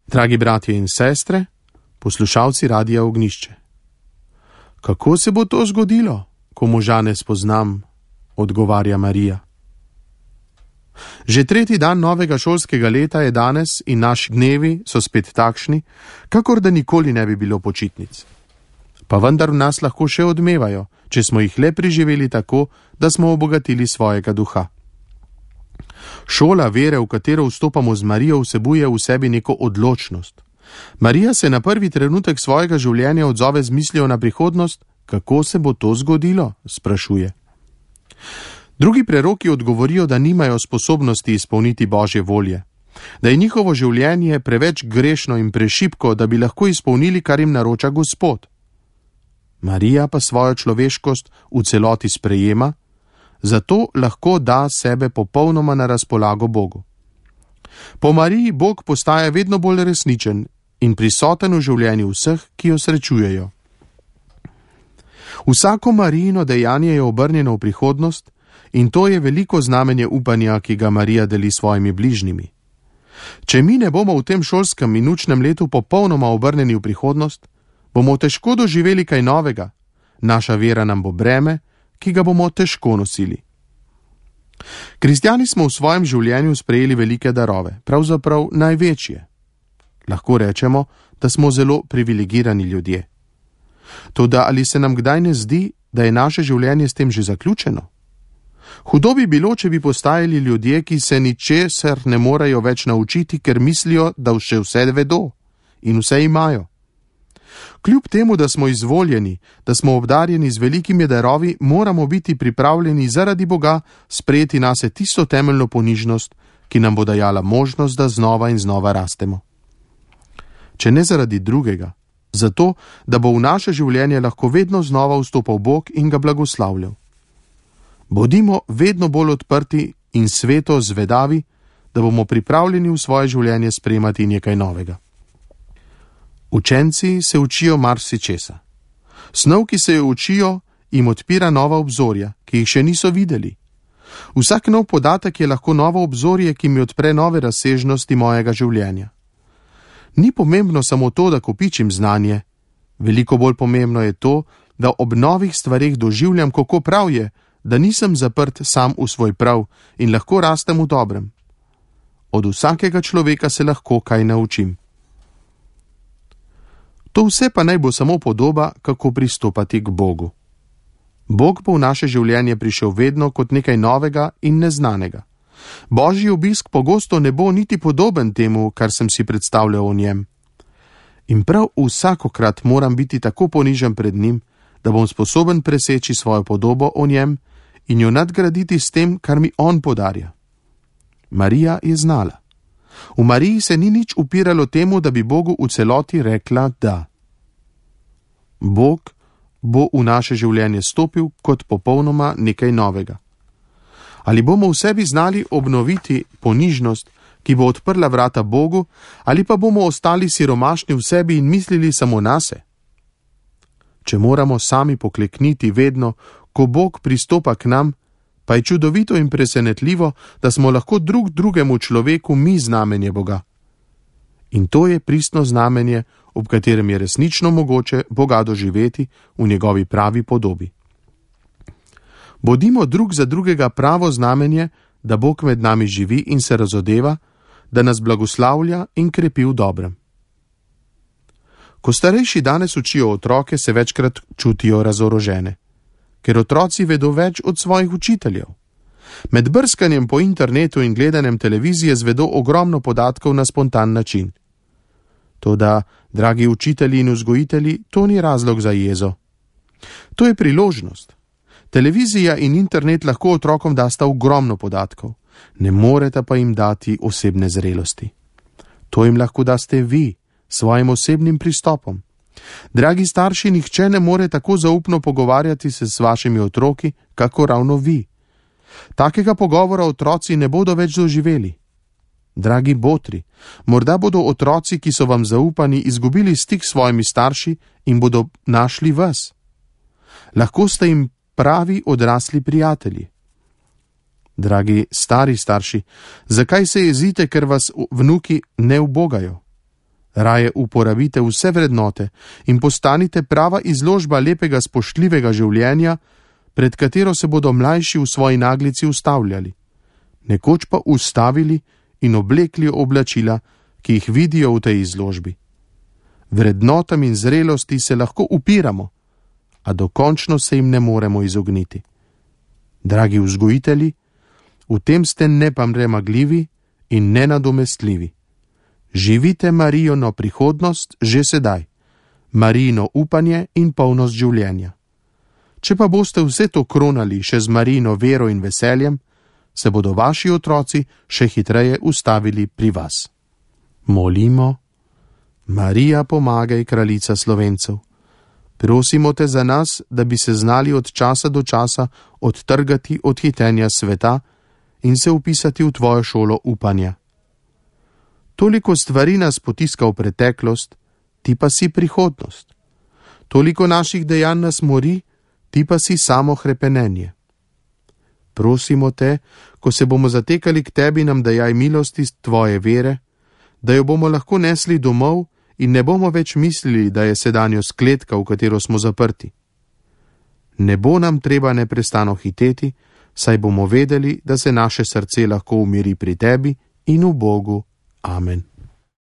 Dragi bratje in sestre, poslušalci Radia Ognjišče. Kako se bo to zgodilo, ko moža ne spoznam, odgovarja Marija. Že tretji dan novega šolskega leta je danes in naši dnevi so spet takšni, kakor da nikoli ne bi bilo počitnic. Pa vendar v nas lahko še odmevajo, če smo jih le preživeli tako, da smo obogatili svojega duha. Šola vere, v katero vstopamo z Marijo, vsebuje v sebi neko odločnost. Marija se na prvi trenutek svojega življenja odzove z mislijo na prihodnost, kako se bo to zgodilo, sprašuje. Drugi preroki odgovorijo, da nimajo sposobnosti izpolniti Božje volje, da je njihovo življenje preveč grešno in prešibko, da bi lahko izpolnili, kar jim naroča Gospod. Marija pa svojo človeškost v celoti sprejema, zato lahko da sebe popolnoma na razpolago Bogu. Po Mariji Bog postaja vedno bolj resničen in prisoten v življenju vseh, ki jo srečujejo. Vsako Marijino dejanje je obrnjeno v prihodnost in to je veliko znamenje upanja, ki ga Marija deli svojimi bližnjimi. Če mi ne bomo v tem šolskem in učnem letu popolnoma obrnjeni v prihodnost, bomo težko doživeli kaj novega, naša vera nam bo breme, ki ga bomo težko nosili. Kristjani smo v svojem življenju sprejeli velike darove, pravzaprav največje. Lahko rečemo, da smo zelo privilegirani ljudje. Toda ali se nam kdaj ne zdi, da je naše življenje s tem že zaključeno? Hudo bi bilo, če bi postajali ljudje, ki se ničesar ne morejo več naučiti, ker mislijo, da še vse vedo in vse imajo. Kljub temu, da smo izvoljeni, da smo obdarjeni z velikimi darovi, moramo biti pripravljeni zaradi Boga sprejeti nase tisto temeljno ponižnost, ki nam bo dajala možnost, da znova in znova rastemo. Če ne zaradi drugega, zato, da bo v naše življenje lahko vedno znova vstopal Bog in ga blagoslavljal. Bodimo vedno bolj odprti in sveto zvedavi, da bomo pripravljeni v svoje življenje sprejemati nekaj novega. Učenci se učijo marsičesa. Snov, ki se jo učijo, jim odpira nova obzorja, ki jih še niso videli. Vsak nov podatek je lahko novo obzorje, ki mi odpre nove razsežnosti mojega življenja. Ni pomembno samo to, da kopičim znanje. Veliko bolj pomembno je to, da ob novih stvareh doživljam, kako prav je, da nisem zaprt sam v svoj prav in lahko rastem v dobrem. Od vsakega človeka se lahko kaj naučim. To vse pa naj bo samo podoba, kako pristopati k Bogu. Bog bo v naše življenje prišel vedno kot nekaj novega in neznanega. Božji obisk pogosto ne bo niti podoben temu, kar sem si predstavljal o njem. In prav vsakokrat moram biti tako ponižen pred njim, da bom sposoben preseči svojo podobo o njem in jo nadgraditi s tem, kar mi on podarja. Marija je znala. V Mariji se ni nič upiralo temu, da bi Bogu v celoti rekla da. Bog bo v naše življenje stopil kot popolnoma nekaj novega. Ali bomo v sebi znali obnoviti ponižnost, ki bo odprla vrata Bogu, ali pa bomo ostali siromašni v sebi in mislili samo nase? Če moramo sami poklekniti vedno, ko Bog pristopa k nam, pa je čudovito in presenetljivo, da smo lahko drug drugemu človeku mi znamenje Boga. In to je pristno znamenje, ob katerem je resnično mogoče Boga doživeti v njegovi pravi podobi. Bodimo drug za drugega pravo znamenje, da Bog med nami živi in se razodeva, da nas blagoslavlja in krepi v dobrem. Ko starejši danes učijo otroke, se večkrat čutijo razorožene, ker otroci vedo več od svojih učiteljev. Med brskanjem po internetu in gledanjem televizije zvedo ogromno podatkov na spontan način. Toda, dragi učitelji in vzgojitelji, to ni razlog za jezo. To je priložnost. Televizija in internet lahko otrokom dasta ogromno podatkov, ne morete pa jim dati osebne zrelosti. To jim lahko daste vi, svojim osebnim pristopom. Dragi starši, nihče ne more tako zaupno pogovarjati se s vašimi otroki, kako ravno vi. Takega pogovora otroci ne bodo več doživeli. Dragi botri, morda bodo otroci, ki so vam zaupani, izgubili stik s svojimi starši in bodo našli vas. Lahko ste jim pravi odrasli prijatelji. Dragi stari starši, zakaj se jezite, ker vas vnuki ne ubogajo? Raje uporabite vse vrednote in postanite prava izložba lepega spoštljivega življenja, pred katero se bodo mlajši v svoji naglici ustavljali, nekoč pa ustavili in oblekli oblačila, ki jih vidijo v tej izložbi. Vrednotam in zrelosti se lahko upiramo, a dokončno se jim ne moremo izogniti. Dragi vzgojitelji, v tem ste nepremagljivi in nenadomestljivi. Živite Marijino prihodnost že sedaj, Marijino upanje in polnost življenja. Če pa boste vse to kronali še z Marijino vero in veseljem, se bodo vaši otroci še hitreje ustavili pri vas. Molimo. Marija, pomagaj, kraljica Slovencev. Prosimo te za nas, da bi se znali od časa do časa odtrgati od hitenja sveta in se vpisati v tvojo šolo upanja. Toliko stvari nas potiska v preteklost, ti pa si prihodnost. Toliko naših dejanj nas mori, ti pa si samo hrepenenje. Prosimo te, ko se bomo zatekali k tebi, nam dajaj milosti tvoje vere, da jo bomo lahko nesli domov in ne bomo več mislili, da je sedanjost kletka, v katero smo zaprti. Ne bo nam treba neprestano hiteti, saj bomo vedeli, da se naše srce lahko umiri pri tebi in v Bogu. Amen.